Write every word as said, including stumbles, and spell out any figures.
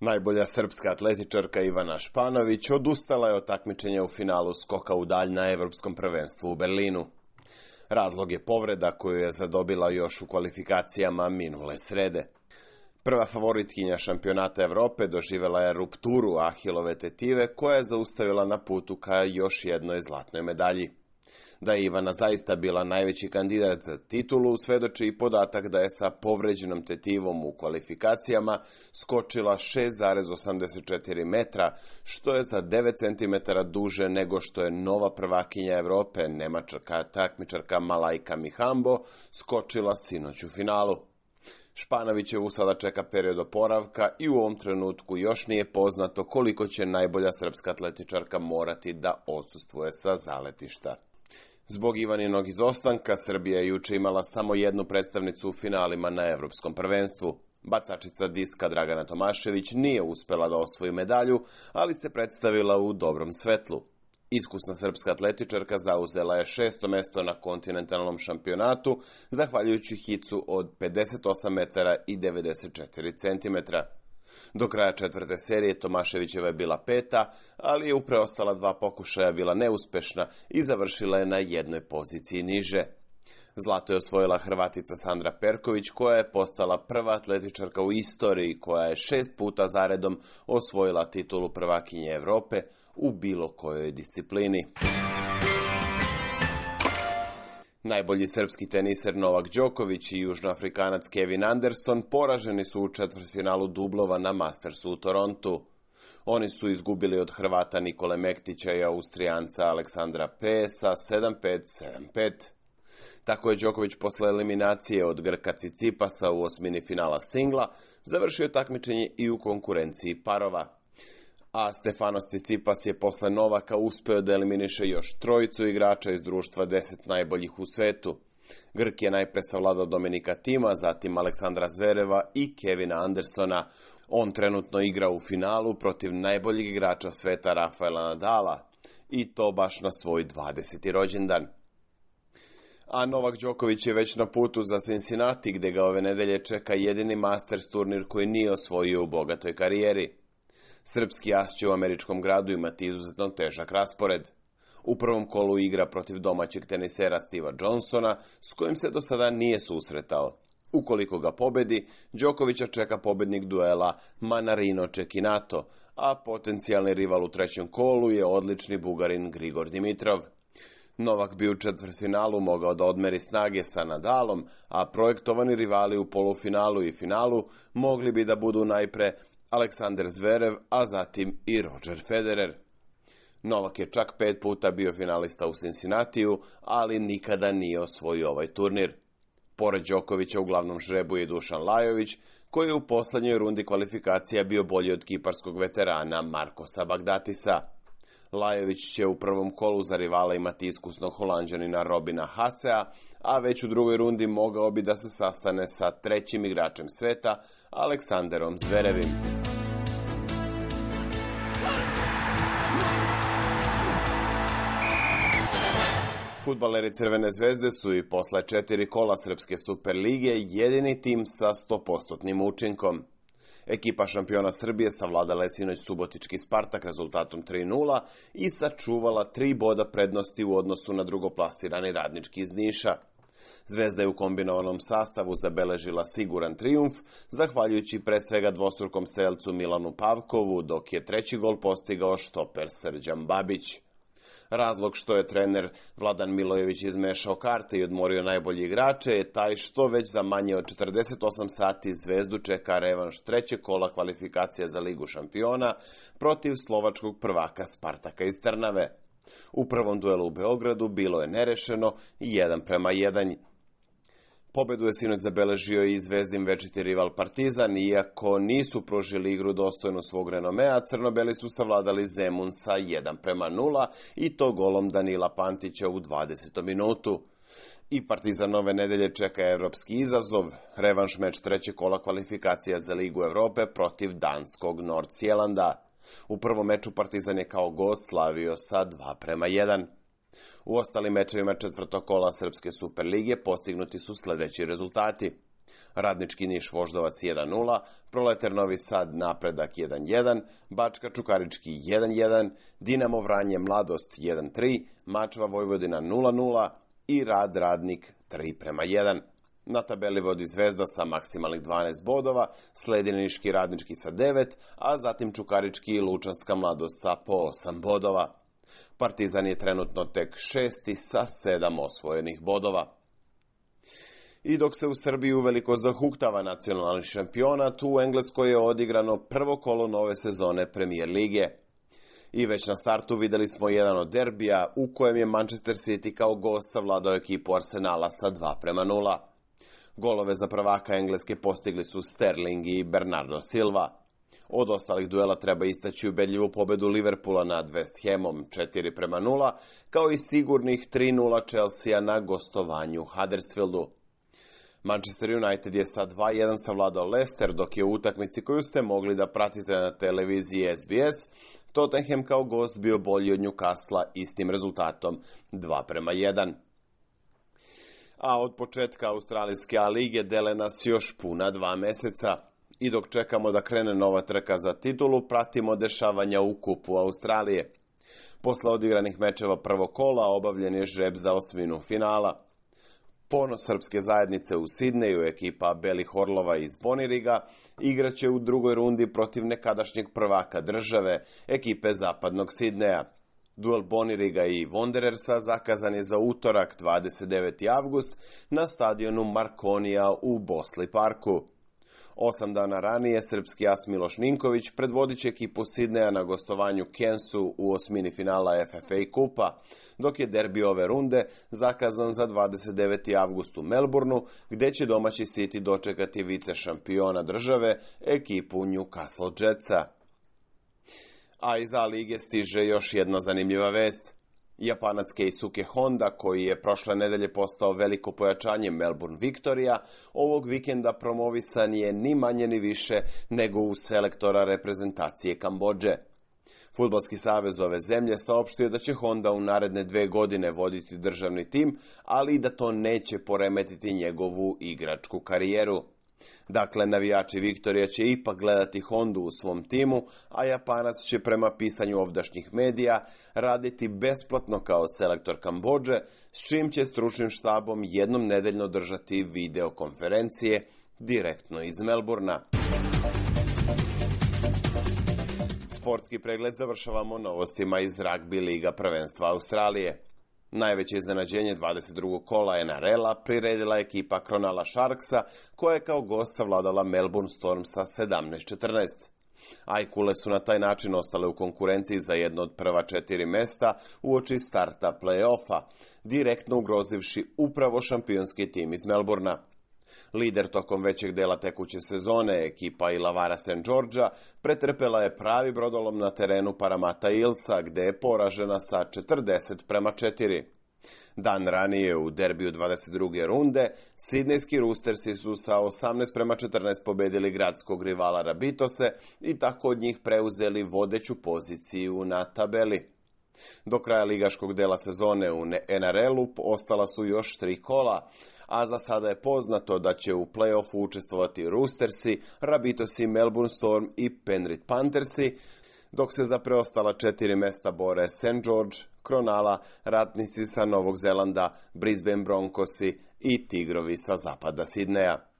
Najbolja srpska atletičarka Ivana Španović odustala je od takmičenja u finalu skoka u dalj na Evropskom prvenstvu u Berlinu. Razlog je povreda koju je zadobila još u kvalifikacijama minule srede. Prva favoritkinja šampionata Evrope doživjela je rupturu ahilove tetive koja je zaustavila na putu ka još jednoj zlatnoj medalji. Da je Ivana zaista bila najveći kandidat za titulu svedoči i podatak da je sa povređenom tetivom u kvalifikacijama skočila šest zarez osamdeset četiri metra, što je za devet centimetara duže nego što je nova prvakinja Evrope, nemačka takmičarka Malaika Mihambo, skočila sinoć u finalu. Španovićevu sada čeka period oporavka i u ovom trenutku još nije poznato koliko će najbolja srpska atletičarka morati da odsustvuje sa zaletišta. Zbog Ivaninog izostanka, Srbija je juče imala samo jednu predstavnicu u finalima na Evropskom prvenstvu. Bacačica diska Dragana Tomašević nije uspela da osvoji medalju, ali se predstavila u dobrom svetlu. Iskusna srpska atletičarka zauzela je šesto mesto na kontinentalnom šampionatu, zahvaljujući hicu od pedeset osam metara i devedeset četiri centimetra. Do kraja četvrte serije Tomaševićeva je bila peta, ali je u preostala dva pokušaja bila neuspešna i završila je na jednoj poziciji niže. Zlato je osvojila Hrvatica Sandra Perković, koja je postala prva atletičarka u istoriji koja je šest puta zaredom osvojila titulu prvakinje Evrope u bilo kojoj disciplini. Najbolji srpski teniser Novak Đoković i južnoafrikanac Kevin Anderson poraženi su u četvrtfinalu dublova na Mastersu u Torontu. Oni su izgubili od Hrvata Nikole Mektića i Austrijanca Aleksandra P. sa sedam pet sedam pet. Tako je Đoković posle eliminacije od Grka Cicipasa u osmini finala singla završio takmičenje i u konkurenciji parova. A Stefanos Cicipas je posle Novaka uspeo da eliminiše još trojicu igrača iz društva deset najboljih u svetu. Grk je najpre savladao Dominika Tima, zatim Aleksandra Zvereva i Kevina Andersona. On trenutno igra u finalu protiv najboljeg igrača sveta Rafaela Nadala, i to baš na svoj dvadeseti rođendan. A Novak Đoković je već na putu za Cincinnati, gde ga ove nedelje čeka jedini Masters turnir koji nije osvojio u bogatoj karijeri. Srpski as će u američkom gradu imati izuzetno težak raspored. U prvom kolu igra protiv domaćeg tenisera Steva Johnsona, s kojim se do sada nije susretao. Ukoliko ga pobedi, Đokovića čeka pobednik duela Manarino Cecchinato, a potencijalni rival u trećem kolu je odlični Bugarin Grigor Dimitrov. Novak bi u četvrtfinalu mogao da odmeri snage sa Nadalom, a projektovani rivali u polufinalu i finalu mogli bi da budu najpre Aleksandar Zverev, a zatim i Roger Federer. Novak je čak pet puta bio finalista u Cincinnatiju, ali nikada nije osvojio ovaj turnir. Pored Đokovića u glavnom žrebu je Dušan Lajović, koji je u poslednjoj rundi kvalifikacija bio bolji od kiparskog veterana Markosa Bagdatisa. Lajović će u prvom kolu za rivala imati iskusnog Holanđanina Robina Hasea, a već u drugoj rundi mogao bi da se sastane sa trećim igračem sveta, Aleksanderom Zverevim. Fudbaleri Crvene zvezde su i posle četiri kola Srpske Superlige jedini tim sa sto posto učinkom. Ekipa šampiona Srbije savladala je sinoć subotički Spartak rezultatom tri nula i sačuvala tri boda prednosti u odnosu na drugoplasirani Radnički iz Niša. Zvezda je u kombinovanom sastavu zabeležila siguran trijumf, zahvaljujući pre svega dvostrukom strelcu Milanu Pavkovu, dok je treći gol postigao štoper Srđan Babić. Razlog što je trener Vladan Milojević izmešao karte i odmorio najbolji igrače je taj što već za manje od četrdeset osam sati Zvezdu čeka revanš trećeg kola kvalifikacija za Ligu šampiona protiv slovačkog prvaka Spartaka iz Trnave. U prvom duelu u Beogradu bilo je nerešeno jedan prema jedan. Pobedu je sinoć zabeležio i Zvezdin večiti rival Partizan, iako nisu pružili igru dostojnu svog renomea, crnobeli su savladali Zemun sa jedan prema nula i to golom Danila Pantića u dvadesetom minutu. I Partizan ove nedelje čeka evropski izazov, revanš meč trećeg kola kvalifikacija za Ligu Evrope protiv danskog Nordsjelanda. U prvom meču Partizan je kao gost slavio sa dva prema jedan. U ostalim mečevima četvrtog kola Srpske Superlige postignuti su sledeći rezultati. Radnički Niš Voždovac jedan nula, Proletar Novi Sad Napredak jedan jedan, Bačka Čukarički jedan jedan, Dinamo Vranje Mladost jedan tri, Mačva Vojvodina nula nula i Rad Radnik tri prema jedan. Na tabeli vodi Zvezda sa maksimalnih dvanaest bodova, sledi Niški Radnički sa devet, a zatim Čukarički i Lučanska Mladost sa po osam bodova. Partizan je trenutno tek šesti sa sedam osvojenih bodova. I dok se u Srbiji uveliko zahuktava nacionalni šampionat, u Engleskoj je odigrano prvo kolo nove sezone Premier lige. I već na startu videli smo jedan od derbija u kojem je Manchester City kao gost savladao ekipu Arsenala sa dva prema nula. Golove za prvaka Engleske postigli su Sterling i Bernardo Silva. Od ostalih duela treba istaći ubedljivu pobedu Liverpoola nad West Hamom četiri prema nula, kao i sigurnih tri nula Chelsea na gostovanju Huddersfieldu. Manchester United je sa dva jedan savladao Leicester, dok je u utakmici koju ste mogli da pratite na televiziji S B S, Tottenham kao gost bio bolji od Newcastle istim rezultatom dva prema jedan. A od početka Australijske A lige dele nas još puna dva meseca. I dok čekamo da krene nova trka za titulu, pratimo dešavanja u kupu Australije. Posle odigranih mečeva prvog kola obavljen je žreb za osminu finala. Ponos srpske zajednice u Sidneju, ekipa Belih Orlova iz Boniriga, igraće u drugoj rundi protiv nekadašnjeg prvaka države, ekipe zapadnog Sidneja. Duel Boniriga i Wanderersa zakazan je za utorak dvadeset deveti avgust na stadionu Markonija u Bosli Parku. Osam dana ranije srpski as Miloš Ninković predvodit će ekipu Sidneja na gostovanju Cairnsu u osmini finala F F A kupa, dok je derbi ove runde zakazan za dvadeset deveti avgust u Melbourneu, gde će domaći City dočekati vice šampiona države, ekipu Newcastle Jetsa. A iz A lige stiže još jedna zanimljiva vest. Japanac Keisuke Honda, koji je prošle nedelje postao veliko pojačanje Melbourne Victoria, ovog vikenda promovisan je ni manje ni više nego u selektora reprezentacije Kambodže. Fudbalski savez ove zemlje saopštio da će Honda u naredne dve godine voditi državni tim, ali i da to neće poremetiti njegovu igračku karijeru. Dakle, navijači Viktorija će ipak gledati Hondu u svom timu, a Japanac će prema pisanju ovdašnjih medija raditi besplatno kao selektor Kambodže, s čim će stručnim štabom jednom nedeljno držati videokonferencije direktno iz Melburna. Sportski pregled završavamo novostima iz Ragbi Liga prvenstva Australije. Najveće iznenađenje dvadeset drugog kola N R L-a priredila ekipa Cronulla Sharksa, koja je kao gost savladala Melbourne Storm sa sedamnaest četrnaest. Ajkule su na taj način ostale u konkurenciji za jedno od prva četiri mesta uoči starta play-offa, direktno ugrozivši upravo šampionski tim iz Melbournea. Lider tokom većeg dela tekuće sezone, ekipa Illawarra Saint Georgea, pretrpela je pravi brodolom na terenu Parramatta Eelsa, gde je poražena sa četrdeset prema četiri. Dan ranije u derbiju dvadeset druge runde, sidnejski Roostersi su sa osamnaest prema četrnaest pobedili gradskog rivala Rabitose i tako od njih preuzeli vodeću poziciju na tabeli. Do kraja ligaškog dela sezone u N R L-u ostala su još tri kola, a za sada je poznato da će u play-offu učestvovati Roostersi, Rabitosi, Melbourne Storm i Penrith Panthersi, dok se za preostala četiri mesta bore Saint George, Cronulla, Ratnici sa Novog Zelanda, Brisbane Broncosi i Tigrovi sa zapada Sidneja.